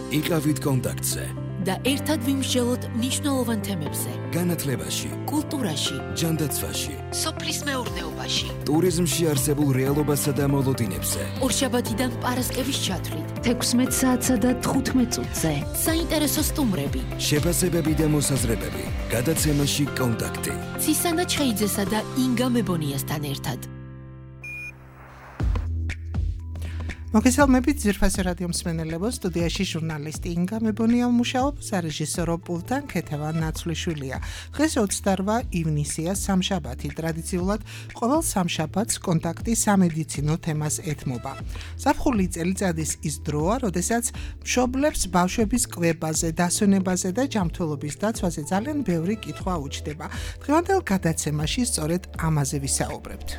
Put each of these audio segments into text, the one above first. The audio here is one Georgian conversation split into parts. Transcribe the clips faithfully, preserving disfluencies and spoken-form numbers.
იყავით კონტაქტზე და ერთად ვიმსჯელოთ მნიშვნელოვან თემებზე. განათლებაში, კულტურაში, ჯანდაცვაში, სოფლის მეურნეობაში, ტურიზმში არსებულ რეალობასა და მოლოდინებზე. ორშაბათიდან პარასკევის ჩათვლით, თექვსმეტ საათსა და თხუთმეტ წუთზე. საინტერესო სტუმრები, შეფასებები და მოსაზრებები. გადაცემაში კონტაქტი. ცისანა ჩხეიძესა და ინგა მებონიასთან ერთად. მოგესალმებით ძვირფასი რადიო მსმენელებო, სტუდიაში ჟურნალისტი ინგა მებონია მუშაობს, რეჟისორო პულტან ქეთევან ნაცვლიშვილია. დღეს ოცდაორმა ივნისია, სამშაბათი. ტრადიციულად ყოველ სამშაბათს კონტაქტი სამედიცინო თემას ეთმობა. ზაფხული წელიწადის ის დროა, როდესაც მშობლებს ბავშვების კვებაზე, დასვენებაზე და ჯანმრთელობის დაცვაზე ძალიან ბევრი კითხვა უჩნდება. დღევანდელ გადაცემაში სწორედ ამაზე ვისაუბრებთ.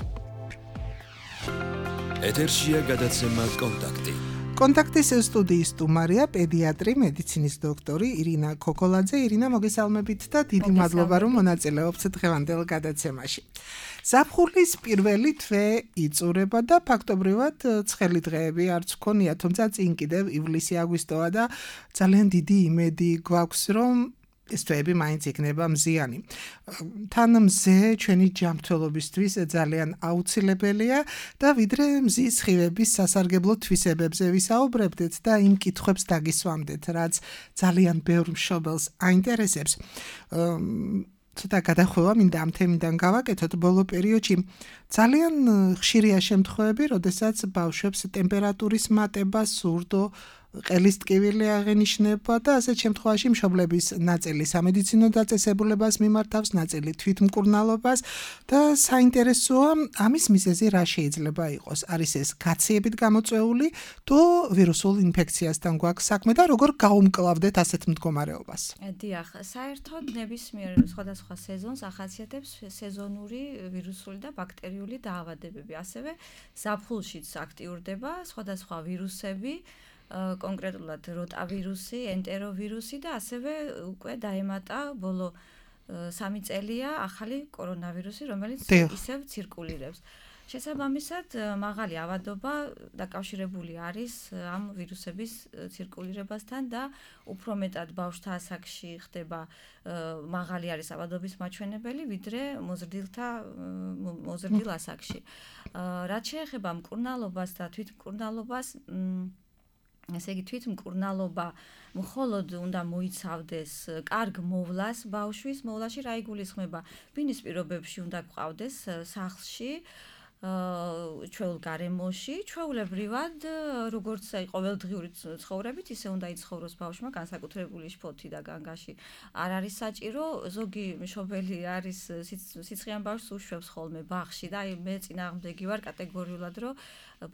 ეთერშია გადაცემა კონტაქტი. კონტაქტის სტუდიის სტუმარია პედიატრი, მედიცინის დოქტორი ირინა ქოქოლაძე. ირინა, მოგესალმებით და დიდი მადლობა, რომ მონაწილეობთ დღევანდელ გადაცემაში. ზაფხულის პირველი თვე იწურება და ფაქტობრივად ცხელი დღეები არც გქონია, თუმცა წინ კიდევ ივლისი, აგვისტოა და ძალიან დიდი იმედი გვაქვს, რომ ეს თვეები მაინც იქნება მზიანი. თან მზე ჩვენი ჯანმრთელობისთვის ძალიან აუცილებელია და ვიდრე მზის სხივების სასარგებლო თვისებებზე ვისაუბრებდეთ და იმ კითხვებს დაგისვამდეთ, რაც ძალიან ბევრ მშობელს აინტერესებს. ცოტა გადახვევა მინდა ამ თემიდან გავაკეთოთ. ბოლო პერიოდში ძალიან ხშირია შემთხვევები, როდესაც ბავშვებს ტემპერატურის მატება, სურდო, ყელის ტკივილი აღენიშნება და ასეთ შემთხვევაში მშობლების ნაწილი სამედიცინო დაწესებულებას მიმართავს, ნაწილი თვითმკურნალობას და საინტერესოა ამის მიზეზი რა შეიძლება იყოს. არის ეს გაციებით გამოწვეული თუ ვირუსულ ინფექციასთან გვაქვს საქმე და როგორ გაუმკლავდეთ ასეთ მდგომარეობას? დიახ, საერთოდ ნებისმიერ სხვადასხვა სეზონს ახასიათებს სეზონური ვირუსული და ბაქტერიული დაავადებები. ასევე ზაფხულშიც აქტიურდება სხვადასხვა ვირუსები, კონკრეტულად როტავირუსი, ენტეროვირუსი და ასევე უკვე დაემატა ბოლო სამი წელია ახალი კორონავირუსი, რომელიც ისევ ცირკულირებს. შესაბამისად, მაღალი ავადობა დაკავშირებული არის ამ ვირუსების ცირკულირებასთან და უფრო მეტად ბავშვთა ასაკში ხდება მაღალი არის ავადობის მაჩვენებელი, ვიდრე მოზრდილთა მოზრდილ ასაკში. რაც შეეხება მკურნალობას და თვითმკურნალობას, ესე იგი თვითმკურნალობა მხოლოდ უნდა მოიცავდეს კარგ მოვლას ბავშვის, მოვლაში რა იგულისხმება? ბინის პირობებში უნდა გყავდეს სახლში, ჩვეულ გარემოში, ჩვეულებრივად, როგორც ყოველდღიური ცხოვრებით, ისე უნდა იცხოვროს ბავშვმა, განსაკუთრებული შფოთი და განგაში არ არის საჭირო. ზოგი მშობელი არის სიცხიან ბავშვს უშვებს ხოლმე ბაღში და მე წინააღმდეგი ვარ კატეგორიულად, რომ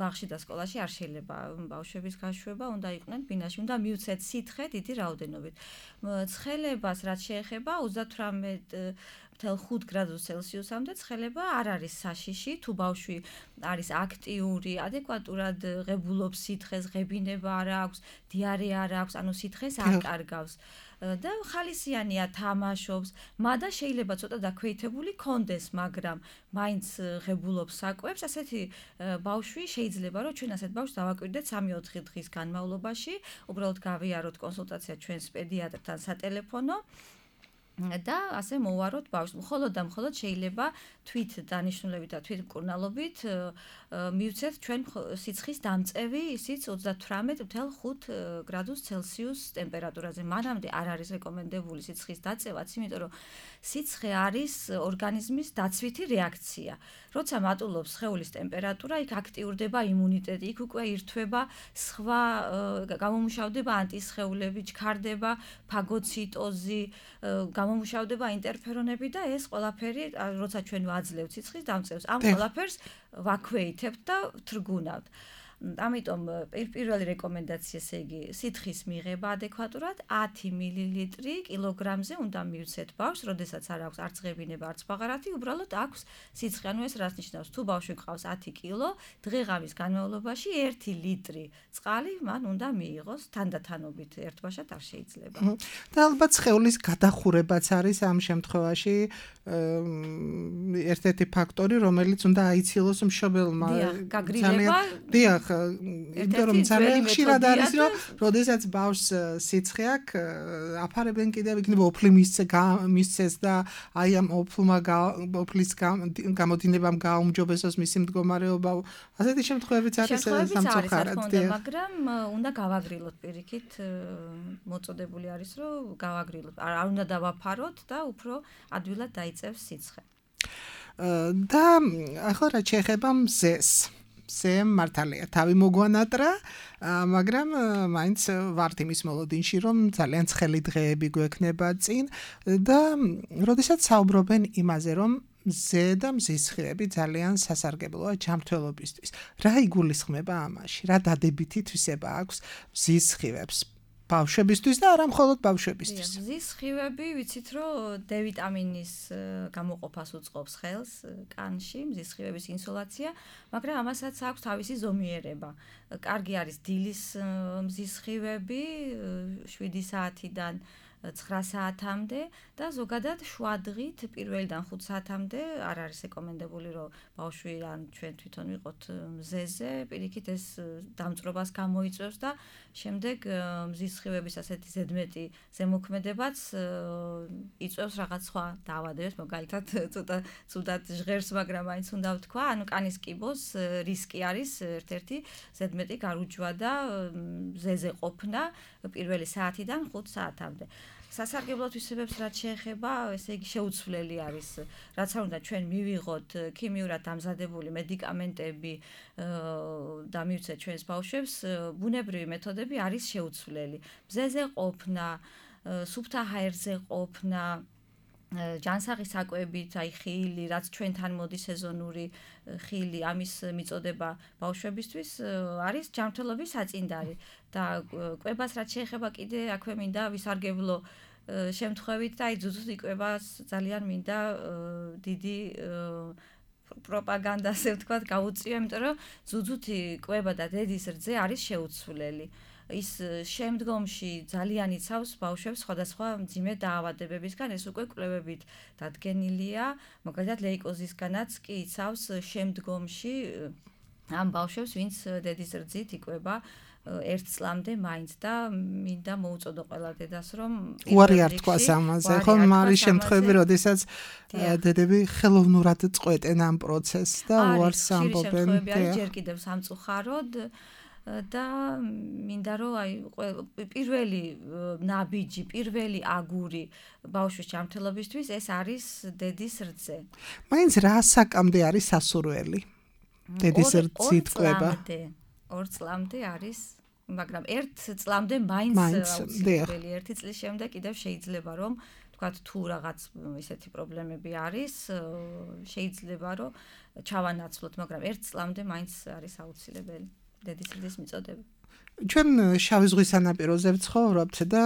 ბაღში და სკოლაში არ შეიძლება ბავშვების გაშვება, უნდა იყვნენ ბინაში, უნდა მიუცეთ სითხე დიდი რაოდენობით. ცხელებას რაც შეეხება ოცდათვრამეტ ათი გრადუს ცელსიუსამდე ცხელება არ არის საშიში, თუ ბავშვი არის აქტიური, ადეკვატურად ღებულობს სითხეს, ღებინება არ აქვს, დიარეა არ აქვს, ანუ სითხეს არ კარგავს. და ხალისიანია, თამაშობს, მადა შეიძლება ცოტა დაქვეითებული კონდეს, მაგრამ მაინც ღებულობს საკვებს. ასეთი ბავშვი შეიძლება, რომ ჩვენ ასეთ ბავშვს დავაკვირდეთ სამი-ოთხი დღის განმავლობაში, უბრალოდ გავიაროთ კონსულტაცია ჩვენს პედიატრთან სატელეფონო და ასე მოვაროთ ბავშვს. მხოლოდ და მხოლოდ შეიძლება თვით დანიშნულებით და თვით მკურნალობით მივცეთ ჩვენ სიცხის დამწევი, ისიც ოცდათვრამეტ ათი გრადუს ცელსიუს ტემპერატურაზე. მანამდე არ არის რეკომენდებული სიცხის დაწევაც, იმიტომ რომ სიცხე არის ორგანიზმის დაცვითი რეაქცია. როცა მატულობს სხეულის ტემპერატურა, იქ აქტიურდება იმუნიტეტი, იქ უკვე ირთვება სხვა გამომუშავდება ანტისხეულები, ჩქარდება ფაგოციტოზი, გამომუშავდება ინტერფერონები და ეს ყველაფერი, როცა ჩვენ ვაძლევთ სიცხის დამწევს, ამ ყველაფერს ვაქვეითებთ და ვთრგუნავთ. ამიტომ პირველი რეკომენდაცია, ესე იგი, სითხის მიღება ადეკვატურად ათი მილილიტრი კილოგრამზე უნდა მივცეთ ბავშვს, როდესაც არ აქვს არც ღებინება, არც ბაღარათი, უბრალოდ აქვს სიცხე. ანუ ეს რას ნიშნავს? თუ ბავშვი გყავს ათი კილო, დღე-ღამის განმავლობაში ერთი ლიტრი წყალი მან უნდა მიიღოს, თანდათანობით ერთბაშად არ შეიძლება. და ალბათ სხეულის გადახურებაც არის ამ შემთხვევაში ერთ-ერთი ფაქტორი, რომელიც უნდა აიცილოს მშობელმა. დიახ, გაგრილება. დიახ, იმიტომ რომ ძალიან ხშირად არის რომ როდესაც ბავშვს სიცხე აქვს აფარებენ კიდევ იქნება ოფლი მისცეს და აი ამ ოფლმა ოფლის გამოდინებამ გააუმჯობესოს მისი მდგომარეობა ასეთი შემთხვევებიც არის სამწუხაროდ მაგრამ უნდა გავაგრილოთ პირიქით მოწოდებული არის რომ გავაგრილოთ არ უნდა დავაფაროთ და უფრო ადვილად დაიწევს სიცხე და ახლა რა შეეხება მზეს მზემ მართალია თავი მოგვანატრა მაგრამ მაინც ვართ იმის მოლოდინში რომ ძალიან ცხელი დღეები გვექნება წინ და როდესაც საუბრობენ იმაზე რომ მზე და მზის ხილები ძალიან სასარგებლოა ჯანმრთელობისთვის რა იგულისხმება ამაში რა დადებითი თვისება აქვს მზის ხილებს ბავშვებისთვის და არა მხოლოდ ბავშვებისთვის. მზის ხილები ვიცით რომ D ვიტამინის გამოყოფას უწყობს ხელს კანში, მზის ხილების ინსოლაცია, მაგრამ ამასაც აქვს თავისი ზომიერება. კარგი არის დილის მზის ხილები შვიდი საათიდან ცხრა საათამდე და ზოგადად შვადღით პირველიდან ხუთ საათამდე არ არის რეკომენდებული რომ ბავშვი ან ჩვენ თვითონ ვიყოთ მზეზე, პირიქით ეს დამწრობას გამოიწვევს და შემდეგ მზის ხილების ასეთი ზედმეტი ზემოქმედებაც იწვევს რაღაც სხვა დაავადებებს, მაგალითად ცოტა ცუდად ჟღერს, მაგრამ მაინც უნდა ვთქვა, ანუ კანის კიბოს რისკი არის ერთ-ერთი ზედმეტი გარუჯვა და მზეზე ყოფნა პირველი საათიდან ხუთ საათამდე. სასარგებლო თვისებებს რაც შეეხება, ესე იგი შეუცვლელი არის, რაც არ უნდა ჩვენ მივიღოთ ქიმიურად დამზადებული მედიკამენტები და მივცეთ ჩვენს ბავშვებს, ბუნებრივი მეთოდები არის შეუცვლელი. მზეზე ყოფნა, სუფთა ჰაერზე ყოფნა, ჯანსაღი საკვებით, აი ხილი, რაც ჩვენთან მოდის სეზონური ხილი, ამის მიწოდება ბავშვებისთვის არის ჯანმრთელობის საწინდარი და კვებას რაც შეეხება კიდე აქვე მინდა ვისარგებლო შემთხვევით და აი ძუძუთ იკვებას ძალიან მინდა დიდი პროპაგანდა ასე ვთქვათ გაუწიო, იმიტომ რომ ძუძუთი კვება და დედის რძე არის შეუცვლელი. ის შემდგომში ძალიან იცავს ბავშვებს სხვადასხვა მძიმე დაავადებებისგან, ეს უკვე კვლევებით დადგენილია, მაგალითად ლეიკოზისგანაც კი იცავს შემდგომში ამ ბავშვებს, ვინც დედის რძით იკვება ერთ წლამდე მაინც და მინდა მოუწოდო ყველა დედას რომ უარი არ თქვას ამაზე, ხომ არის შემთხვევები, როდესაც დედები ხელოვნურად წყვეტენ ამ პროცესს და უარს ამბობენ. ჯერ კიდევ სამწუხაროდ და მინდა რომ აი პირველი ნაბიჯი, პირველი აგური ბავშვის ჯანმრთელობისთვის ეს არის დედის რძე. მაინც რა საკამდე არის სასურველი? დედის რძით კვება. ორ წლამდე არის, მაგრამ ერთ წლამდე მაინც აუცილებელი, ერთი წლის შემდეგ კიდევ შეიძლება რომ თქვათ თუ რაღაც ისეთი პრობლემები არის, შეიძლება რომ ჩავანაცვლოთ, მაგრამ ერთ წლამდე მაინც არის აუცილებელი. დედის რძის მიწოდება. ჩვენ შავი ზღვის სანაპიროზე ვცხოვრობთ და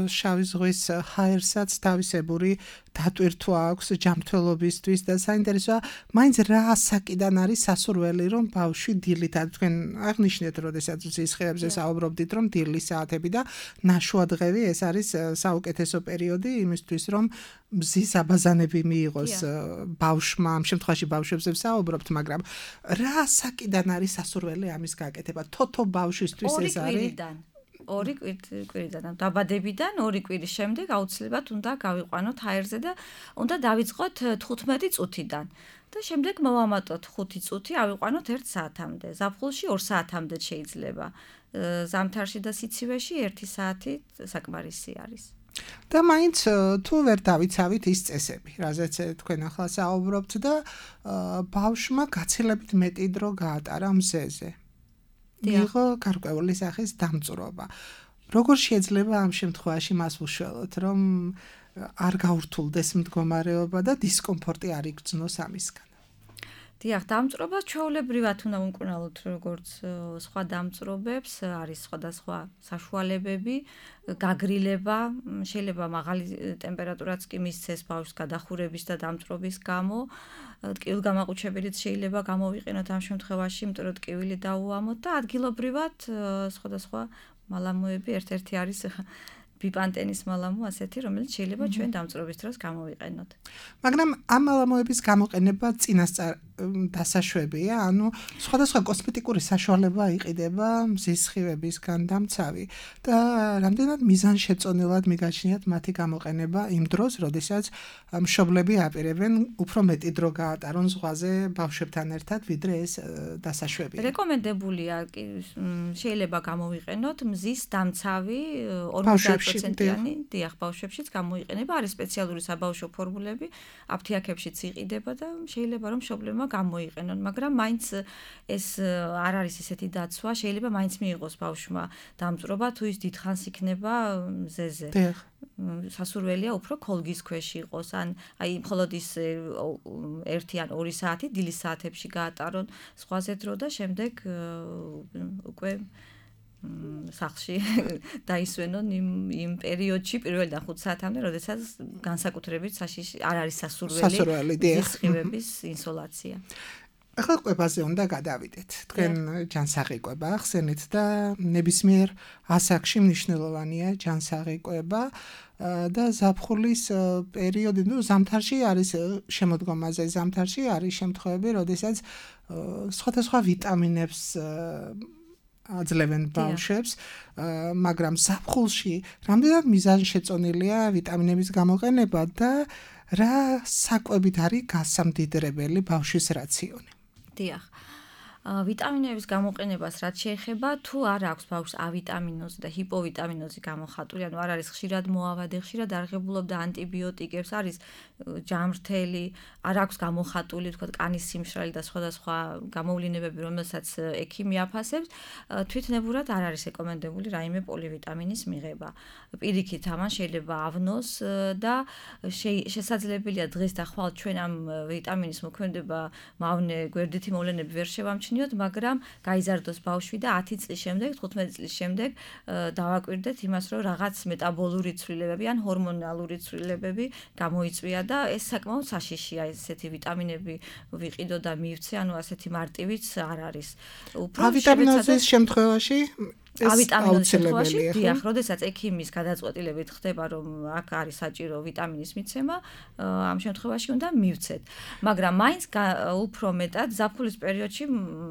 შავი ზღვის ჰაერსაც თავისებური დატვირთვა აქვს ჯანმრთელობისთვის და საინტერესოა, მაინც რა ასაკიდან არის სასურველი რომ ბავშვი დილით, თქვენ აღნიშნეთ, როდესაც მზის ხილებზე საუბრობდით, რომ დილის საათები და ნაშვადღევი ეს არის საუკეთესო პერიოდი იმისთვის, რომ მზის აბაზანები მიიღოს ბავშვმა, ამ შემთხვევაში ბავშვებზე ვსაუბრობთ, მაგრამ რა ასაკიდან არის სასურველი ამის გაკეთება? თოთო ბავშვისთვის ეს არის ორი კვირიდან, დაბადებიდან ორი კვირის შემდეგ აუცილებლად უნდა გავიყვანოთ ჰაერზე და უნდა დავიწყოთ თხუთმეტი წუთიდან. და შემდეგ მოვამატოთ ხუთი წუთი, ავიყვანოთ ერთ საათამდე. ზაფხულში ორ საათამდე შეიძლება. ზამთარში და სიცივეში ერთი საათი საკმარისი არის. და მაინც თუ ვერ დავიცავით ის წესები, რაზეც თქვენ ახლა საუბრობთ და ბავშვმა გაცილებით მეტი დრო გაატარა მზეზე. მიიღო გარკვეული სახის დამწვრობა. როგორ შეიძლება ამ შემთხვევაში მას უშველოთ, რომ არ გაურთულდეს მდგომარეობა და დისკომფორტი არ იგრძნოს ამისგან? დიახ, დამწვრობას ჩვეულებრივად უნდა ვუმკურნალოთ როგორც სხვა დამწვრობებს, არის სხვადასხვა საშუალებები, გაგრილება, შეიძლება მაღალი ტემპერატურაც კი მისცეს ბავშვს გადახურების და დამწვრობის გამო, ტკივილგამაყუჩებელიც შეიძლება გამოვიყენოთ ამ შემთხვევაში, იმიტომ რომ ტკივილი დაუამოთ და ადგილობრივად სხვადასხვა მალამოები, ერთ-ერთი არის ბიპანტენის მალამო ასეთი, რომელიც შეიძლება ჩვენ დამწვრობის დროს გამოვიყენოთ. მაგრამ ამ მალამოების გამოყენება წინასწარ დასაშვებია, ანუ სხვადასხვა კოსმეტიკური საშუალება იყიდება მზის სხივებისგან დამცავი და რამდენად მიზანშეწონილად მიგაჩნიათ მათი გამოყენება იმ დროს, როდესაც მშობლები აპირებენ უფრო მეტი დრო გაატარონ ზღვაზე ბავშვებთან ერთად, ვიდრე ეს დასაშვებია. რეკომენდებულია შეიძლება გამოვიყენოთ მზის დამცავი ორმოცდაათ პროცენტიანი დიახ ბავშვებშიც გამოიყენება, არის სპეციალური საბავშვო ფორმულები, აფთიაქებშიც იყიდება და შეიძლება რომ მშობლებმა გამოიყენონ, მაგრამ მაინც ეს არ არის ესეთი დაცვა, შეიძლება მაინც მიიღოს ბავშვმა დამწვრობა, თუ ის დიდხანს იქნება მზეზე. დიახ. სასურველია უფრო ქოლგის ქვეშ იყოს, ან აი მხოლოდ ის ერთი ან ორი საათი დილის საათებში გაატარონ სხვაზე დრო და შემდეგ უკვე სახლში დაისვენონ იმ იმ პერიოდში პირველიდან ხუთ საათამდე, როდესაც განსაკუთრებით საშიში არ არის სასურველი სხივების ინსოლაცია. ახლა კვებაზე უნდა გადავიდეთ. თქვენ ჯანსაღი კვება ახსენეთ და ნებისმიერ ასაკში მნიშვნელოვანია ჯანსაღი კვება და ზაფხულის პერიოდი, ну, ზამთარში არის შემოდგომაზე, ზამთარში არის შემთხვევები, როდესაც სხვადასხვა ვიტამინებს აძლევენ ბავშვებს, მაგრამ ზაფხულში რამდენად მიზანშეწონილია ვიტამინების გამოყენება და რა საკვებით არის გასამდიდრებელი ბავშვის რაციონი? დიახ. ვიტამინების გამოყენებას რაც შეეხება, თუ არ აქვს ბავშვს ავიტამინოზი და ჰიპოვიტამინოზი გამოხატული, ანუ არ არის ხშირად მოავადე, ხშირად არღებულობდა ანტიბიოტიკებს, არის ჯამრთელი, არ აქვს გამოხატული, თქვა კანის სიმშრალი და სხვადასხვა გამოვლინებები, რომელსაც ექიმი აფასებს, თვითნებურად არ არის რეკომენდებული რაიმე პოლივიტამინის მიღება. პირიქით, ამან შეიძლება ავნოს და შესაძლებელია დღეს და ხვალ ჩვენ ამ ვიტამინის მოქმედება მავნე გვერდითი მოვლენები ვერ შევამჩნიოთ, მაგრამ გაიზარდოს ბავშვი და ათი წლის შემდეგ, თხუთმეტი წლის შემდეგ დავაკვირდეთ იმას, რომ რაღაც მეტაბოლური ცვლილებები ან ჰორმონალური ცვლილებები გამოიწვია და ეს საკმაოდ საშიშია, ესეთი ვიტამინები ვიყიდო და მივცე, ანუ ასეთი მარტივიც არ არის. უფრო ავიტამინოზის შემთხვევაში ავიტამინოზის შემთხვევაში, დიახ, როდესაც ექიმის გადაწყვეტილებით ხდება, რომ აქ არის საჭირო ვიტამინის მიცემა, ამ შემთხვევაში უნდა მივცეთ. მაგრამ მაინც უფრო მეტად ზაფხულის პერიოდში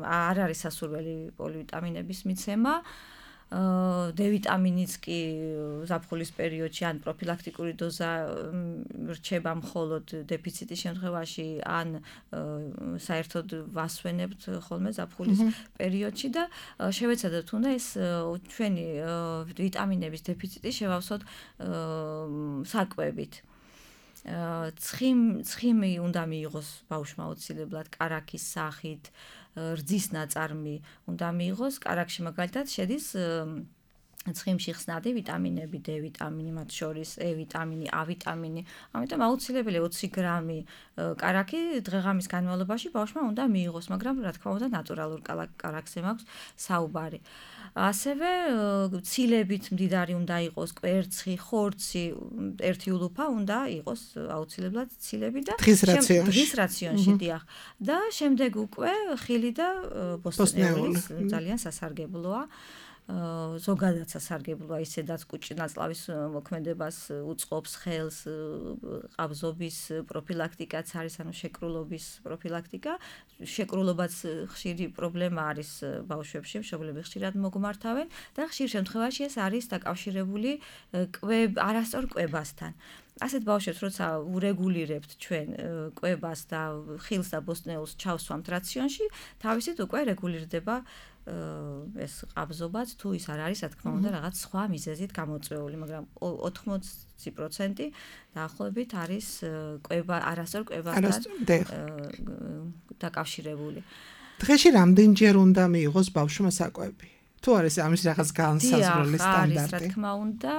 არ არის სასურველი პოლივიტამინების მიცემა. D ვიტამინიც კი ზაფხულის პერიოდში ან პროფილაქტიკური დოზა რჩება მხოლოდ დეფიციტის შემთხვევაში ან საერთოდ ვასვენებთ ხოლმე ზაფხულის პერიოდში და შევეცადოთ უნდა ეს ჩვენი ვიტამინების დეფიციტი შევავსოთ საკვებით. ცხიმ ცხიმი უნდა მიიღოს ბავშვმა აუცილებლად კარაქის სახით, რძის ნაწარმი უნდა მიიღოს, კარაქში მაგალითად შედის ცხიმში ხსნადი ვიტამინები, D ვიტამინი, მათ შორის E ვიტამინი, A ვიტამინი, ამიტომ აუცილებელია ოცი გრამი კარაქი დღე-ღამის განმავლობაში ბავშვმა უნდა მიიღოს, მაგრამ რა თქმა უნდა ნატურალურ კარაქზე მაქვს საუბარი. ასევე ცილებით მდიდარი უნდა იყოს კვერცხი, ხორცი, ერთი ულუფა უნდა იყოს აუცილებლად ცილები და დღის რაციონში, დიახ. და შემდეგ უკვე ხილი და ბოსტნეული ძალიან სასარგებლოა. ზოგადად სასარგებლოა, ისედაც კუჭნაწლავის მოქმედებას უწყობს, ხელს, ყაბზობის პროფილაქტიკაც არის, ანუ შეკრულობის პროფილაქტიკა. შეკრულობაც ხშირი პრობლემა არის ბავშვებში, მშობლები ხშირად მოგმართავენ და ხშირ შემთხვევაში ეს არის დაკავშირებული არასწორ კვებასთან. ასეთ ბავშვებს, როცა ურეგულირებთ ჩვენ კვებას და ხილს და ბოსტნეულს ჩავსვამთ რაციონში, თავისით უკვე რეგულირდება ეს ყაბზობაც, თუ ის არ არის, რა თქმა უნდა, რაღაც სხვა მიზეზით გამოწვეული, მაგრამ ოთხმოცი პროცენტი დაახლოებით არის კვება, არასწორ კვებასთან დაკავშირებული. დღეში რამდენჯერ უნდა მიიღოს ბავშვმა საკვები? თუ არის ამის რაღაც განსაზღვრული სტანდარტი? არის, რა თქმა უნდა,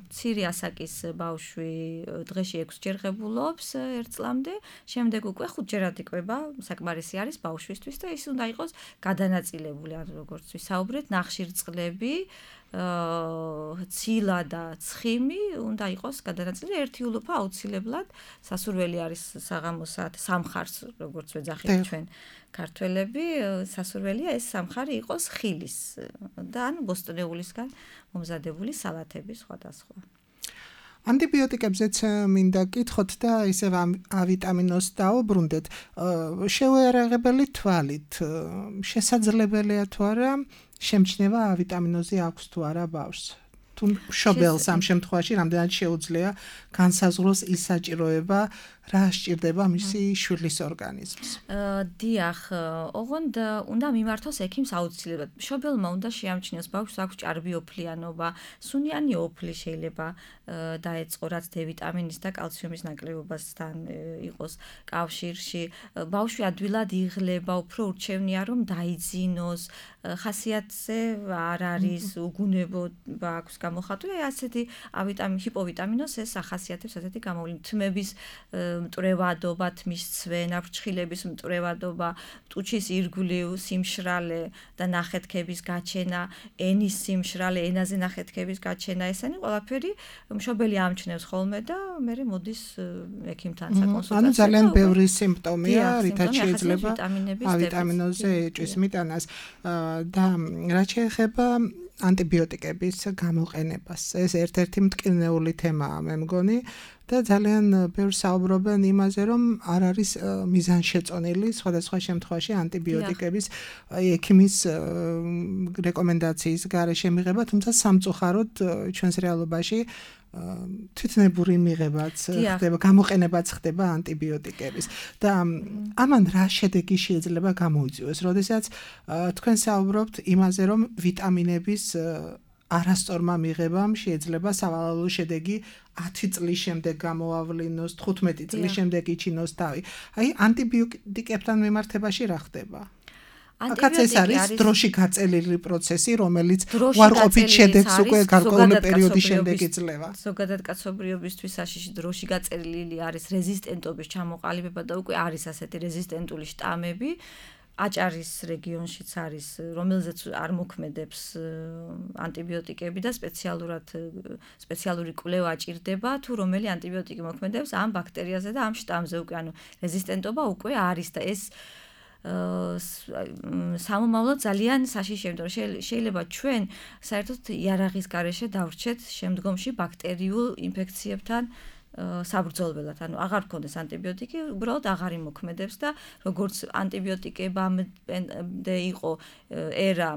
მცირე ასაკის ბავშვი დღეში ექვსჯერ ღებულობს ერთ წლამდე, შემდეგ უკვე ხუთჯერადი კვება საკმარისი არის ბავშვისთვის და ის უნდა იყოს გადანაწილებული, ან როგორც ვისაუბრეთ, ნახშირწყლები, ცილა და ცხიმი უნდა იყოს გადანაწილებული, ერთი ულუფა აუცილებლად, სასურველი არის საღამოს საათი სამხარს, როგორც ვეძახით ჩვენ ქართველები, სასურველია ეს სამხარი იყოს ხილის და ან ბოსტნეულისგან მომზადებული სალათები სხვადასხვა. ანტიბიოტიკებზეც მინდა კითხოთ და ისევ ავიტამინოს დაუბრუნდეთ. შეუერაღებელი თვალით შესაძლებელია თუ არა შემჩნევა ავიტამინოზე აქვს თუ არა ბავშვს? თუ მშობელს ამ შემთხვევაში რამდენად შეუძლია განსაზღვროს ის საჭიროება, რა სჭირდება მისი შვილის ორგანიზმს. დიახ, ოღონდ უნდა მიმართოს ექიმს აუცილებლად. მშობელმა უნდა შეამჩნიოს ბავშვს აქვს ჭარბი ოფლიანობა, სუნიანი ოფლი შეიძლება დაეწყო, რაც D ვიტამინის და კალციუმის ნაკლებობასთან იყოს კავშირში. ბავშვი ადვილად იღლება, უფრო ურჩევნია რომ დაიძინოს, ხასიათზე არ არის უგუნებობა აქვს გამოხატული, ასეთი ავიტამინ ჰიპოვიტამინოს ეს ახასიათებს ასეთი გამოვლენა. თმების მტრევადობა, თმის ცვენა, ფრჩხილების მტრევადობა, ტუჩის ირგვლივ სიმშრალე და ნახეთქების გაჩენა, ენის სიმშრალე, ენაზე ნახეთქების გაჩენა, ესენი ყველაფერი მშობელი ამჩნევს ხოლმე და მე მოდის ექიმთან საკონსულტაციო. ანუ ძალიან ბევრი სიმპტომია, რითაც შეიძლება ავიტამინოზე ეჭვის მიტანას და რაც შეეხება ანტიბიოტიკების გამოყენებას. ეს ერთ-ერთი მტკივნეული თემაა, მე მგონი. და ძალიან ბევრს საუბრობენ იმაზე, რომ არ არის მიზანშეწონილი სხვადასხვა შემთხვევაში ანტიბიოტიკების ექიმის რეკომენდაციის გარეშე მიღება, თუმცა სამწუხაროდ ჩვენს რეალობაში თვითნებური მიღებაც ხდება, გამოყენებაც ხდება ანტიბიოტიკების. და ამან რა შედეგი შეიძლება გამოიწვიოს, როდესაც თქვენ საუბრობთ იმაზე, რომ ვიტამინების არასწორმა მიღებამ შეიძლება სავალალო შედეგი ათი წლის შემდეგ გამოავლინოს, თხუთმეტი წლის შემდეგ იჩინოს თავი. აი, ანტიბიოტიკებთან მიმართებაში რა ხდება? აქაც ეს არის დროში გაწელილი პროცესი, რომელიც უარყოფით შედეგს უკვე გარკვეული პერიოდის შემდეგ იძლევა. ზოგადად კაცობრიობისთვის საშიში დროში გაწელილი არის რეზისტენტობის ჩამოყალიბება და უკვე არის ასეთი რეზისტენტული შტამები. აჭარის რეგიონშიც არის, რომელზეც არ მოქმედებს ანტიბიოტიკები და სპეციალურად სპეციალური კვლევა ჭირდება, თუ რომელი ანტიბიოტიკი მოქმედებს ამ ბაქტერიაზე და ამ შტამზე უკვე, ანუ რეზისტენტობა უკვე არის და ეს სამომავლოდ ძალიან საშიშია, იმიტომ რომ შეიძლება ჩვენ საერთოდ იარაღის გარეშე დავრჩეთ შემდგომში ბაქტერიულ ინფექციებთან საბრძოლველად, ანუ აღარ გქონდეს ანტიბიოტიკი, უბრალოდ აღარ იმოქმედებს და როგორც ანტიბიოტიკებამდე იყო ერა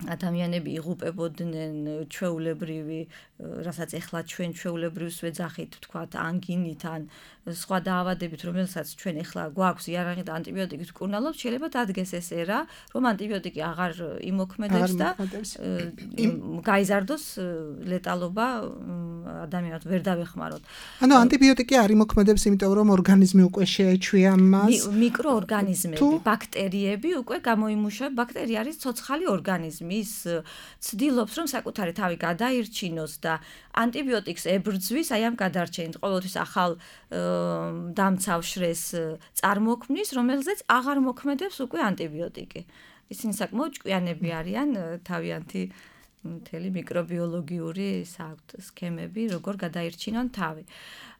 ადამიანები იღუპებოდნენ ჩვეულებრივი, რასაც ეხლა ჩვენ ჩვეულებრივს ვეძახით, ვთქვათ, ანგინით ან სხვა დაავადებით, რომელსაც ჩვენ ეხლა გვაქვს იარაღი და ანტიბიოტიკით ვკურნალობთ, შეიძლება დადგეს ეს ერა, რომ ანტიბიოტიკი აღარ იმოქმედებს და გაიზარდოს ლეტალობა ადამიანად ვერ დავეხმაროთ. ანუ ანტიბიოტიკი არ იმოქმედებს, იმიტომ რომ ორგანიზმი უკვე შეეჩვია მას. მიკროორგანიზმები, ბაქტერიები უკვე გამოიმუშავება. ბაქტერია არის ცოცხალი ორგანიზმი. ის ცდილობს, რომ საკუთარი თავი გადაირჩინოს და ანტიბიოტიკს ებრძვის, აი ამ გადარჩენით, ყოველთვის ახალ დამცავ შრეს წარმოქმნის, რომელზეც აღარ მოქმედებს უკვე ანტიბიოტიკი. ისინი საკმაოდ ჭკვიანები არიან, თავიანთი მთელი მიკრობიოლოგიური სქემები, როგორ გადაირჩინონ თავი.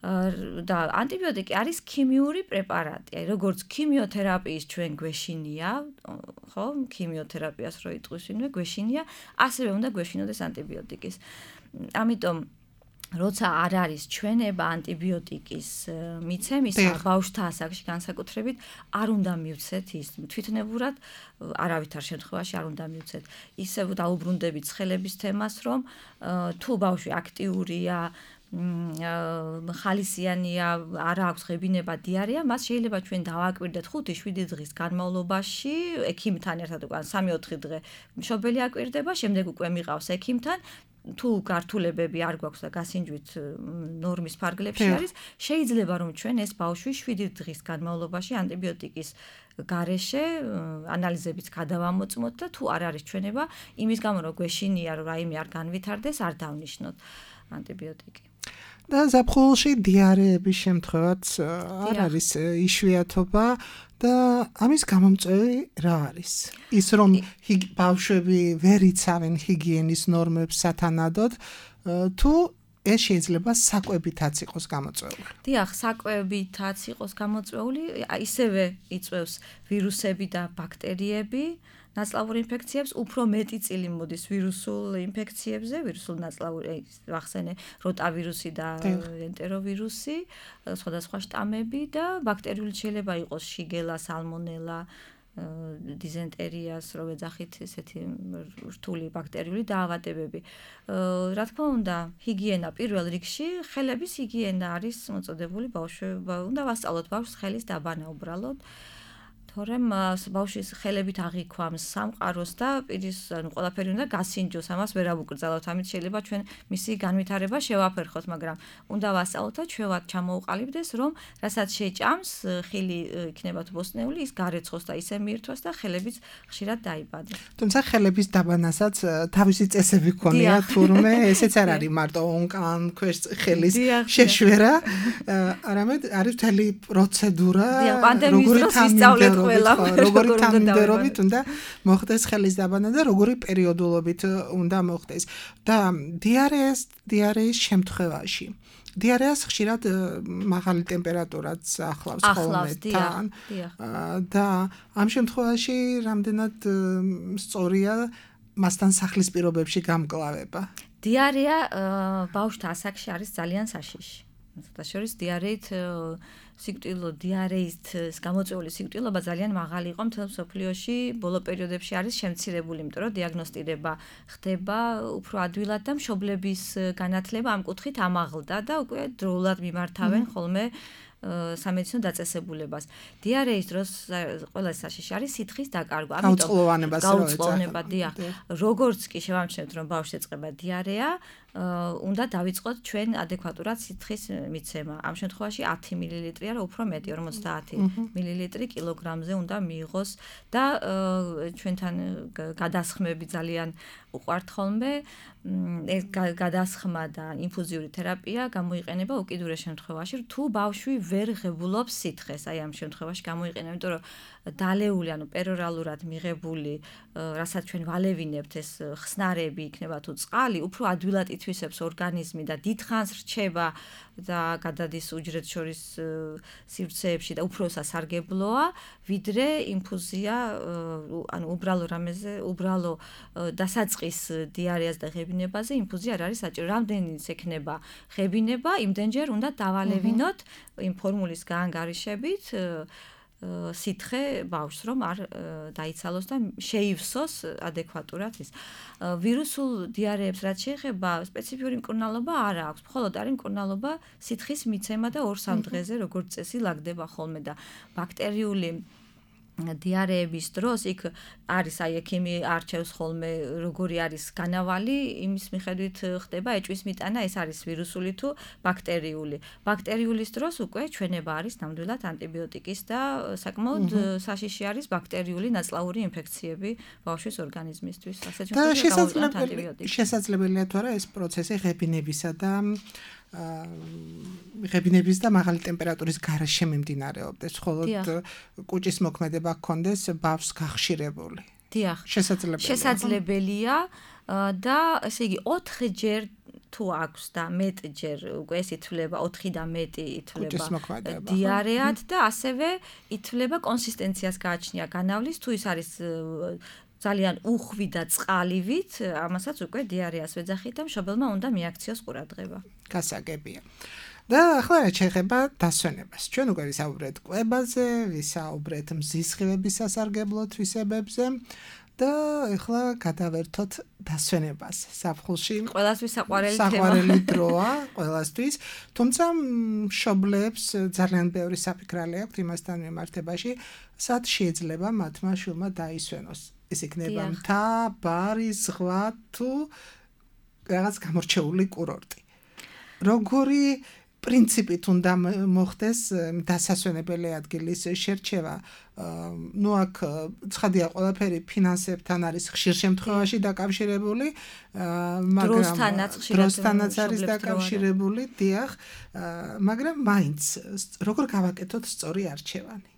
და ანტიბიოტიკი არის ქიმიური პრეპარატი. აი, როგორც ქიმიოთერაპიის ჩვენ გვეშინია, ხო, ქიმიოთერაპიას რო იტყვისინვე, გვეშინია, ასევე უნდა გვეშინოდეს ანტიბიოტიკის. ამიტომ როცა არ არის ჩვენება ანტიბიოტიკის მიცემისა, ბავშვთა ასაკში განსაკუთრებით არ უნდა მივცეთ ის თვითნებურად, არავითარ შემთხვევაში არ უნდა მივცეთ. ისევ დაუბრუნდებით ცხელების თემას, რომ თუ ბავშვი აქტიურია, ხალისიანია, არ აქვს ღებინება, დიარეა, მას შეიძლება ჩვენ დავაკვირდეთ ხუთი შვიდი დღის განმავლობაში ექიმთან ერთად, უკვე სამი ოთხი დღე მშობელი აკვირდება, შემდეგ უკვე მიყავს ექიმთან. თუ გართულებები არ გვაქვს და გასინჯვით ნორმის ფარგლებში არის, შეიძლება რომ ჩვენ ეს ბავშვი შვიდი დღის განმავლობაში ანტიბიოტიკის გარეშე ანალიზებიც გადავამოწმოთ და თუ არ არის ჩვენება, იმის გამო რომ გვეშინია რომ რაიმე არ განვითარდეს, არ დავნიშნოთ ანტიბიოტიკი. და ზაფხულში დიარეების შემთხვევაც არ არის იშვიათობა და ამის გამომწვევი რა არის? ის რომ ბავშვები ვერ იცავენ ჰიგიენის ნორმებს სათანადოდ, თუ ეს შეიძლება საკვებითაც იყოს გამოწვეული. დიახ, საკვებითაც იყოს გამოწვეული, ისევე იწვევს ვირუსები და ბაქტერიები ნაწლავურ ინფექციებს, უფრო მეტი წილი მოდის ვირუსულ ინფექციებზე, ვირუსულ ნაწლავურ, ვახსენე, როტავირუსი და ენტეროვირუსი, სხვადასხვა შტამები და ბაქტერიული შეიძლება იყოს შიგელა, სალმონელა, დიზენტერიას, რო ვეძახით ესეთი რთული ბაქტერიული დაავადებები. რა თქმა უნდა, ჰიგიენა პირველ რიგში, ხელების ჰიგიენა არის მოწოდებული ბავშვებმა. უნდა ვასწავლოთ ბავშვს ხელის დაბანა უბრალოდ. თორემ ბავშვის ხელებით აღიქვამს სამყაროს და პირის, ანუ ყველაფერი უნდა გასინჯოს, ამას ვერ ავუკრძალავთ. ამით შეიძლება ჩვენ მისი განვითარება შევაფერხოთ, მაგრამ უნდა ვასწავლოთ და ჩვევად ჩამოუყალიბდეს, რომ რასაც შეჭამს, ხილი იქნება თუ ბოსტნეული, ის გარეცხოს და ისე მიირთვას და ხელებიც ხშირად დაიბადეს. თუმცა ხელების დაბანასაც თავისი წესები ქონია, თურმე ესეც არ არის მარტო ონკან ქვეშ ხელის შეშვერა, არამედ არის მთელი პროცედურა, როგორი ვისწავლეთ ყველა როგორი თანმიმდევრობით უნდა მოხდეს ხელის დაბანა და როგორი პერიოდულობით უნდა მოხდეს. და დიარეას დიარეის შემთხვევაში დიარეას ხშირად მაღალი ტემპერატურაც ახლავს ხოლმე თან და ამ შემთხვევაში რამდენად სწორია მასთან სახლის პირობებში გამკლავება. დიარეა ბავშვთა ასაკში არის ძალიან საშიში. ცოტა შორის დიარეით სიკვდილო დიარეით გამოწვეული სიკვდილობა ძალიან მაღალი იყო მთელ მსოფლიოში, ბოლო პერიოდებში არის შემცირებული, იმიტომ რომ დიაგნოსტირება ხდება უფრო ადვილად და მშობლების განათლება ამ კუთხით ამაღლდა და უკვე დროულად მიმართავენ ხოლმე სამედიცინო დაწესებულებას. დიარეის დროს ყველა საშიში არის სითხის დაკარგვა. ამიტომ გაუწყლოვნება, დიახ. როგორც კი შევამჩნევთ, რომ ბავშვს ეწყება დიარეა, უნდა დავიწყოთ ჩვენ ადეკვატურად სითხის მიცემა. ამ შემთხვევაში ათი მილილიტრი არა უფრო მეტი, ორმოცდაათი მილილიტრი კილოგრამზე უნდა მიიღოს და ჩვენთან გადასხმები ძალიან უყვართ ხოლმე. ეს გადასხმა და ინფუზიური თერაპია გამოიყენება უკიდურეს შემთხვევაში, თუ ბავშვი ვერ ღებულობს სითხეს. აი ამ შემთხვევაში გამოიყენება, იმიტომ რომ დალეული, ანუ პერორალურად მიღებული, რასაც ჩვენ ვალევინებთ, ეს ხსნარები იქნება თუ წყალი, უფრო ადვილად ითვისებს ორგანიზმი და დიდხანს რჩება და გადადის უჯრედს შორის სივრცეებში და უფრო სასარგებლოა, ვიდრე ინფუზია, ანუ უბრალო რამეზე, უბრალო დასაწყის დიარეას და ღებინებაზე ინფუზია არ არის საჭირო. რამდენიც ექნება ღებინება, იმდენჯერ უნდა დავალევინოთ იმ ფორმულის გაანგარიშებით სითხე ბავშვს, რომ არ დაიცალოს და შეივსოს ადეკვატურად ის. ვირუსულ დიარეებს რაც შეეხება, სპეციფიური მკურნალობა არ აქვს, მხოლოდ არის მკურნალობა სითხის მიცემა და ორ-სამ დღეზე როგორც წესი ლაგდება ხოლმე და ბაქტერიული დიარეების დროს იქ არის აი ექიმი არჩევს ხოლმე როგორი არის განავალი, იმის მიხედვით ხდება ეჭვის მიტანა, ეს არის ვირუსული თუ ბაქტერიული. ბაქტერიულის დროს უკვე ჩვენება არის ნამდვილად ანტიბიოტიკის და საკმაოდ საშიში არის ბაქტერიული ნაწლავური ინფექციები ბავშვის ორგანიზმისთვის. ასე შესაძლებელია შესაძლებელია თუ არა ეს პროცესი ღებინებისა და ღებინების და მაღალი ტემპერატურის გარეშე მიმდინარეობდეს, ხოლო კუჭის მოქმედება გქონდეს ბავშვს გახშირებული. დიახ. შესაძლებელია. შესაძლებელია და ესე იგი ოთხჯერ თუ აქვს და მეტჯერ უკვე ეს ითვლება, ოთხი და მეტი ითვლება დიარეად და ასევე ითვლება კონსისტენციას გააჩნია განავლის, თუ ის არის ძალიან უხვი და წყალივით, ამასაც უკვე დიარეას ვეძახით და მშობელმა უნდა მიაქციოს ყურადღება. გასაგებია. და ახლა რა შეეხება დასვენებას. ჩვენ უკვე ვისაუბრეთ კვებაზე, ვისაუბრეთ მზისხივების სასარგებლო თვისებებზე და ახლა გადავერთოთ დასვენებას. ზაფხულში ყველასთვის საყვარელი თემა. საყვარელი დროა ყველასთვის, თუმცა მშობლებს ძალიან ბევრი საფიქრალი აქვთ იმასთან მიმართებაში, სად შეიძლება მათმა შვილმა დაისვენოს. ეს იქნება მთა, ბარი, ზღვა თუ რაღაც გამორჩეული კურორტი. როგორი პრინციპით უნდა მოხდეს დასასვენებელი ადგილის შერჩევა. ნუ აქ ცხადია ყველაფერი ფინანსებთან არის ხშირ შემთხვევაში დაკავშირებული, მაგრამ დროსთანაც არის დაკავშირებული, დიახ, მაგრამ მაინც როგორ გავაკეთოთ სწორი არჩევანი.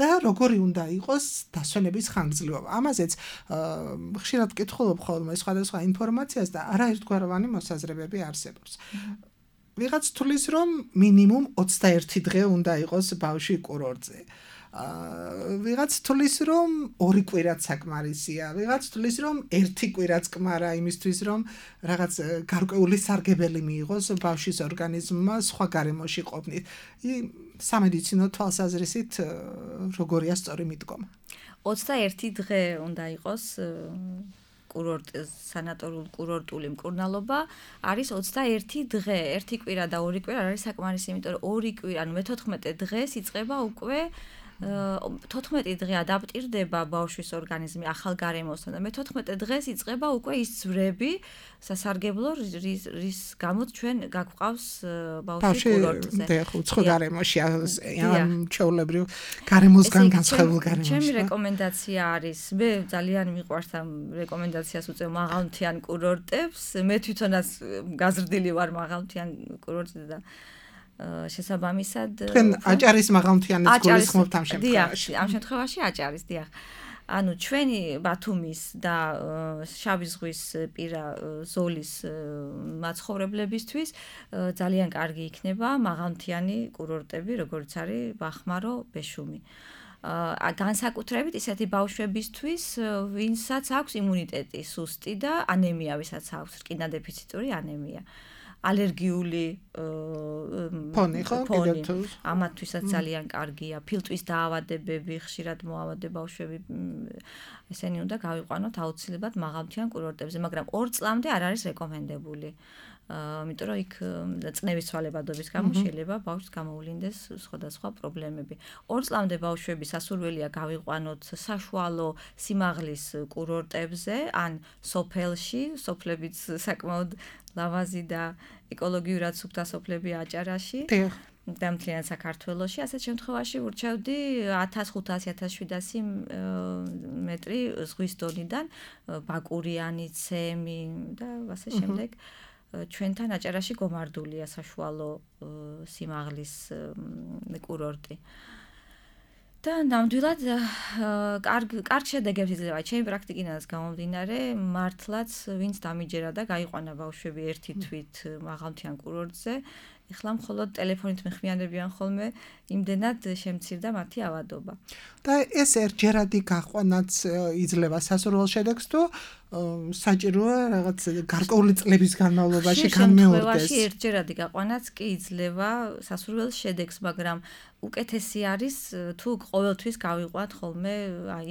და როგორი უნდა იყოს დასვენების ხანგრძლივობა. ამაზეც ხშირად ვკითხულობ ხოლმე სხვადასხვა ინფორმაციას და არაერთგვაროვანი მოსაზრებები არსებობს. ვიღაც თulis რომ მინიმუმ ოცდაერთი დღე უნდა იყოს ბავშვი კურორტზე. ვიღაც თulis რომ ორი კვირაც საკმარისია, ვიღაც თulis რომ ერთი კვირაც კმარა იმისთვის რომ რაღაც გარკვეული სარგებელი მიიღოს ბავშვის ორგანიზმმა სხვა გარემოში ყოფნით. სამედიცინო თვალსაზრისით როგორია სწორი მიდგომა? ოცდაერთი დღე უნდა იყოს კურორტ სანატორიულ კურორტული მკურნალობა არის ოცდაერთი დღე, ერთი კვირა და ორი კვირა არის საკმარისი, იმიტომ რომ ორი კვირა, ანუ მეთოთხმეტე დღეს იწყება უკვე თოთხმეტი დღე ადაპტირდება ბავშვის ორგანიზმი ახალ გარემოსთან და მეთოთხმეტე დღეს იწყება უკვე ის ძვრები სასარგებლო რის გამოც ჩვენ გაგვყავს ბავშვი კურორტზე. ბავშვი უცხო გარემოში ამ ჩვეულებრივ გარემოსგან განსხვავებულ გარემოში. ჩემი რეკომენდაცია არის, მე ძალიან მიყვარს ამ რეკომენდაციას უწევ მაღალმთიან კურორტებს, მე თვითონაც გაზრდილი ვარ მაღალმთიან კურორტზე და შესაბამისად თქვენ აჭარის მაღალმთიანეთს გულისხმობთ ამ შემთხვევაში. დიახ, ამ შემთხვევაში აჭარის, დიახ. ანუ ჩვენი ბათუმის და შავი ზღვის პირა ზოლის მაცხოვრებლებისთვის ძალიან კარგი იქნება მაღალმთიანი კურორტები, როგორც არის ბახმარო, ბეშუმი. განსაკუთრებით ისეთი ბავშვებისთვის, ვინცაც აქვს იმუნიტეტი სუსტი და ანემია, ვისაც აქვს რკინა დეფიციტური ანემია. ალერგიული ფონი ხო კიდევ თუ ამათთვისაც ძალიან კარგია. ფილტვის დაავადებები, ხშირად მოავადდება ბავშვები, ესენი უნდა გავიყვანოთ აუცილებლად მაღალმთიან კურორტებზე, მაგრამ ორ წლამდე არ არის რეკომენდებული. იმიტომ რომ იქ წნევის ცვალებადობის გამო შეიძლება ბავშვს გამოვლინდეს სხვადასხვა პრობლემები. ორ წლამდე ბავშვები სასურველია გავიყვანოთ საშუალო სიმაღლის კურორტებზე, ან სოფელში, სოფლებიც საკმაოდ ლავაზი და ეკოლოგიურად სუფთა სოფლები აჭარაში. და მთლიან საქართველოში, ასეთ შემთხვევაში ურჩევდი ათას ხუთასი ათას შვიდასი მეტრი ზღვის დონიდან ბაკურიანი, ცემი და ასე შემდეგ. ჩვენთან აჭარაში გომარდულია საშუალო სიმაღლის კურორტი. და ნამდვილად კარგ კარგ შედეგებს იძლევა ჩემი პრაქტიკიდან გამომდინარე, მართლაც ვინც დამიჯერა და გაიყვანა ბავშვები ერთი თვით მაღალმთიან კურორტზე, ეხლა მხოლოდ ტელეფონით მეხმიანებიან ხოლმე, იმდენად შემცირდა მათი ავადობა. და ეს ერთჯერადი გაყვანაც იძლევა სასურველ შედეგს თუ საჭიროა რაღაც გარკვეული წლების განმავლობაში განმეორდეს. შემთხვევაში ერთჯერადი გაყვანაც კი იძლევა სასურველ შედეგს, მაგრამ უკეთესი არის თუ ყოველთვის გავიყვანთ ხოლმე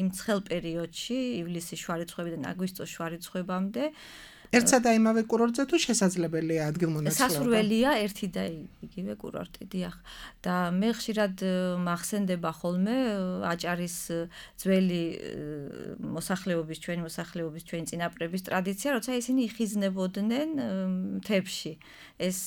იმ ცხელ პერიოდში, ივლისის შუარიცხვებიდან აგვისტოს შუარიცხვებამდე. ერთსა და იმავე კურორტზე თუ შესაძლებელია ადგილმონაცვლეობა? სასურველია ერთი და იგივე კურორტი, დიახ. და მე ხშირად მახსენდება ხოლმე აჭარის ძველი მოსახლეობის, ჩვენი მოსახლეობის, ჩვენი წინაპრების ტრადიცია, როცა ისინი იხიზნებოდნენ მთებში. ეს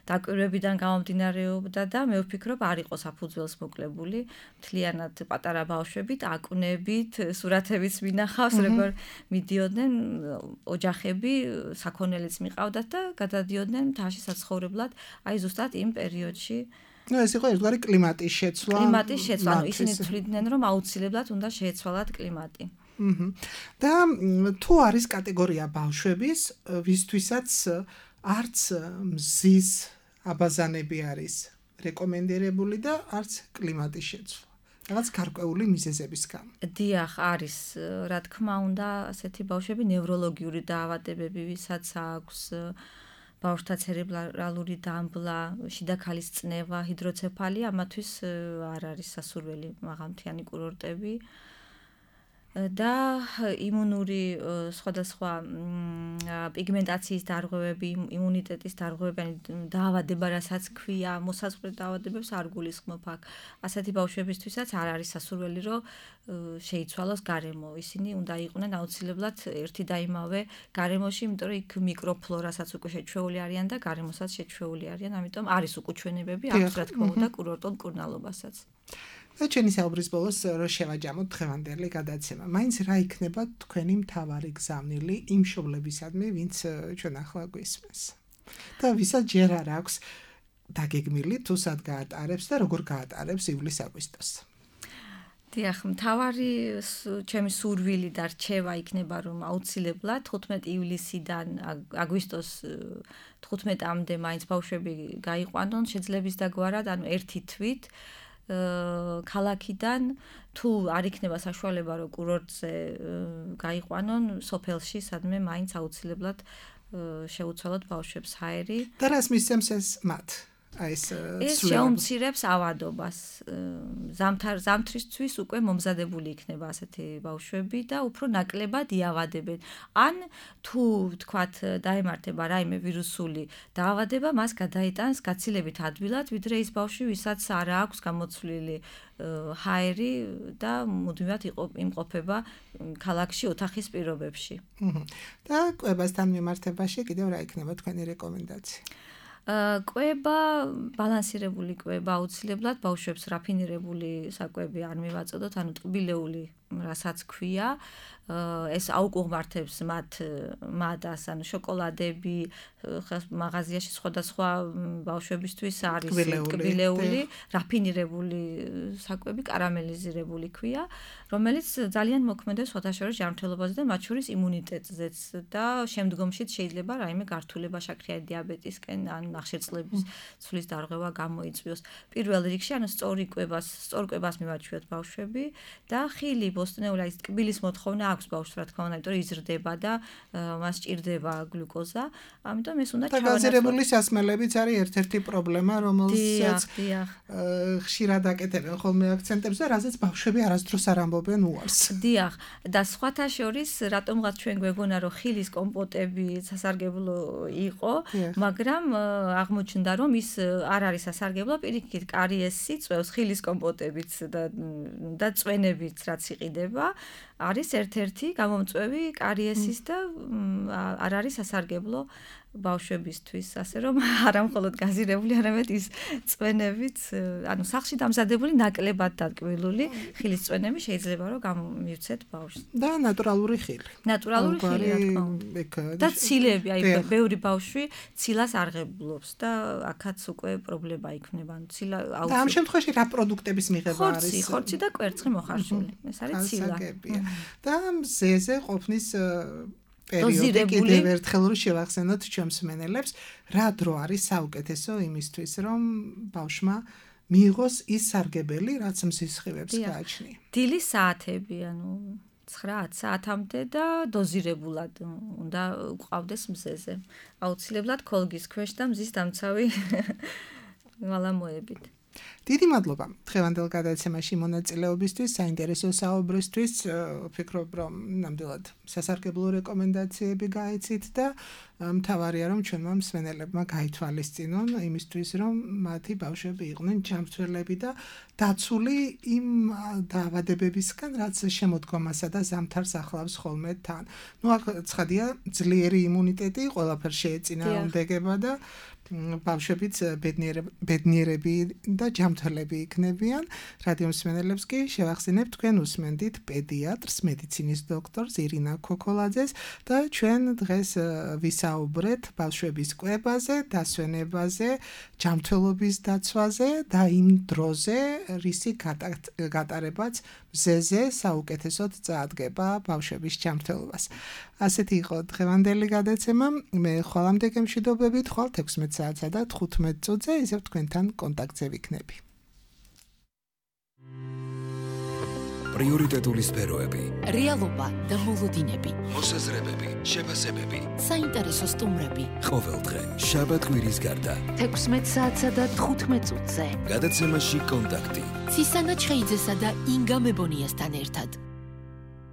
დაკვირვებიდან გამომდინარეობდა და მე ვფიქრობ, არ იყო საფუძველს მოკლებული, მთლიანად პატარა ბავშვებით, აკვნებით, სურათებიც მინახავს, როგორ მიდიოდნენ ოჯახები, საქონელიც მიყავდათ და გადადიოდნენ მთაში საცხოვრებლად, აი ზუსტად იმ პერიოდში. ნუ ეს იყო ერთგვარი კლიმატის შეცვლა. კლიმატის შეცვლა, ანუ ისინი თვლიდნენ, რომ აუცილებლად უნდა შეეცვალათ კლიმატი. და თუ არის კატეგორია ბავშვების, ვისთვისაც არც მზის აბაზანები არის რეკომენდირებული და არც კლიმატის შეცვლა. რაღაც გარკვეული მიზეზების გამო. დიახ, არის, რა თქმა უნდა, ასეთი ბავშვები ნევროლოგიური დაავადებები, ვისაც აქვს ბავშვთა ცერებრალური დამბლა, შიდა ქალის წნევა, ჰიდროცეფალია, ამათთვის არ არის სასურველი მაღალმთიანი კურორტები. და იმუნური სხვადასხვა პიგმენტაციის დარღვევები, იმუნიტეტის დარღვევები, დაავადება, რასაც ქვია, მოსაზღვრე დაავადებებს არ გულისხმობ აქ. ასეთი ბავშვებისთვისაც არ არის სასურველი, რომ შეიცვალოს გარემო. ისინი უნდა იყვნენ აუცილებლად ერთი და იმავე გარემოში, იმიტომ რომ იქ მიკროფლორასაც უკვე შეჩვეული არიან და გარემოსაც შეჩვეული არიან, ამიტომ არის უკუჩვენებები აქვს, რა თქმა უნდა, კურორტულ მკურნალობასაც. და ჩვენი საუბრის ბოლოს რო შევაჯამოთ დღევანდელი გადაცემა. მაინც რა იქნება თქვენი მთავარი გზავნილი იმ მშობლებისადმი, ვინც ჩვენ ახლა გვისმენს. და ვისაც ჯერ არ აქვს დაგეგმილი თუ სად გაატარებს და როგორ გაატარებს ივლის-აგვისტოს. დიახ, მთავარი ჩემი სურვილი და რჩევა იქნება, რომ აუცილებლად თხუთმეტი ივლისიდან აგვისტოს თხუთმეტამდე მაინც ბავშვები გაიყვანონ შეძლების დაგვარად, ანუ ერთი თვით ქალაქიდან თუ არ იქნება საშუალება რომ კურორტზე გაიყვანონ სოფელში, სადმე მაინც აუცილებლად შეუცვალოთ ბავშვებს ჰაერი. და რას მისცემს ეს მათ? ეს შეუმცირებს ავადობას. ზამთარ ზამთრისთვის უკვე მომზადებული იქნება ასეთი ბავშვები და უფრო ნაკლებად იავადებენ. ან თუ თქვათ დაემართება რაიმე ვირუსული დაავადება, მას გადაიტანს გაცილებით ადვილად, ვიდრე ის ბავშვი, ვისაც არ აქვს გამოცვლილი ჰაერი და მუდმივად იმყოფება ქალაქში ოთახის პირობებში. და კვებასთან მიმართებაში კიდევ რა იქნება თქვენი რეკომენდაცია? კვება, ბალანსირებული კვება აუცილებლად ბავშვებს რაფინირებული საკვები არ მივაწოდოთ, ანუ ტკბილეული, რასაც ქვია, ეს აუკუღმართებს მათ მადას, ანუ შოკოლადები, მაღაზიაში სხვადასხვა ბავშვებისთვის არის ტკბილეული, რაფინირებული საკვები, კარამელიზირებული ქვია, რომელიც ძალიან მოქმედებს სხვადასხვა ჯანმრთელობაზე და მათ შორის იმუნიტეტზეც და შემდგომშიც შეიძლება რაიმე გართულება შაქრიანი დიაბეტისკენ ან ნახშირწყლების ცვლის დარღვევა გამოიწვიოს. პირველ რიგში, ანუ სწორი კვებას, სწორ კვებას მივაჩვიოთ ბავშვები და ხილი, ბოსტნეული, აი ტკბილის მოთხოვნა აქვს ბავშვს, რა თქმა უნდა, იმიტომ რომ იზრდება და მას ჭირდება გლუკოზა. ამიტომ ეს უნდა ჩავანაცვლოთ. გაზირებული სასმელებიც არის ერთ-ერთი პრობლემა, რომელსაც ხშირად აკეთებენ ხოლმე აქცენტებს და რაზეც ბავშვები არასდროს არ ამბობენ უარს. დიახ, და სხვათა შორის, რატომღაც ჩვენ გვეგონა, რომ ხილის კომპოტები სასარგებლო იყო, მაგრამ აღმოჩნდა, რომ ის არ არის სასარგებლო, პირიქით კარიესი წვევს ხილის კომპოტებიც და და წვენებიც რაც იყიდება, არის ერთ-ერთი გამომწვევი კარიესის და არ არის სასარგებლო ბავშვებისთვის, ასე რომ არა მხოლოდ გაზირებული, არამედ ის წვენებიც, ანუ სახლში დამზადებული ნაკლებად დატკბილული ხილის წვენები შეიძლება რომ გამივცეთ ბავშვს. და ნატურალური ხილი. ნატურალური ხილი, რა თქმა უნდა. და ცილები, აი ბევრი ბავშვი ცილას არღებულობს და აქაც უკვე პრობლემა იქნება, ანუ ცილა აუცილებლად. და ამ შემთხვევაში რა პროდუქტების მიღება არის? ხორცი, ხორცი და კვერცხი მოხარშული. ეს არის ცილა. და მზეზე ყოფნის პერიოდი კიდევ ერთხელ რომ შევახსენოთ ჩვენს მსმენელებს, რა დრო არის საუკეთესო იმისთვის, რომ ბავშვმა მიიღოს ის სარგებელი, რაც მზის სხივებს გააჩნია. დილის საათები, ანუ ცხრა ათ საათამდე და დოზირებულად უნდა უყავდეს მზეზე. აუცილებლად ქოლგის ქვეშ და მზის დამცავი ვალამოებით. დიდი მადლობა დღევანდელ გადაცემაში მონაწილეობისთვის, საინტერესო საუბრისთვის. ვფიქრობ, რომ ნამდვილად სასარგებლო რეკომენდაციები გაიცით და მთავარია, რომ ჩვენმა მსმენელებმა გაითვალისწინონ იმისთვის, რომ მათი ბავშვები იყვნენ ჯანმრთელები და დაცული იმ დაავადებებისგან, რაც შემოდგომასა და ზამთარს ახლავს ხოლმე თან. ნუ აქ ცხადია, ძლიერი იმუნიტეტი ყველაფერს შეეწინააღმდეგება და ბავშვებიც ბედნიერები და ჯანმრთელები იქნებიან. რადიო მსმენელებს კი შევახსენებთ, თქვენ უსმენდით პედიატრს, მედიცინის დოქტორს ირინა ქოქოლაძეს და ჩვენ დღეს ვისაუბრეთ ბავშვების კვებაზე, დასვენებაზე, ჯანმრთელობის დაცვაზე და იმ დროზე, რისი გატარებაც მზეზე საუკეთესოდ წაადგება ბავშვების ჯანმრთელობას. ასეთი იყო დღევანდელი გადაცემა. მე ხვალამდე გემშვიდობებით, ხვალ ექვსმეტ საათსა და თხუთმეტ წუთზე ისევ თქვენთან კონტაქტზე ვიქნები. პრიორიტეტული სფეროები, რეალობა და მოლოდინები, მოსაზრებები, შეფასებები, საინტერესო სტუმრები. ყოველდღე შაბათ-კვირის გარდა ექვსმეტ საათსა და თხუთმეტ წუთზე გადაცემაში კონტაქტი. ცისანა ჩხეიძესა და ინგა მებონიასთან ერთად.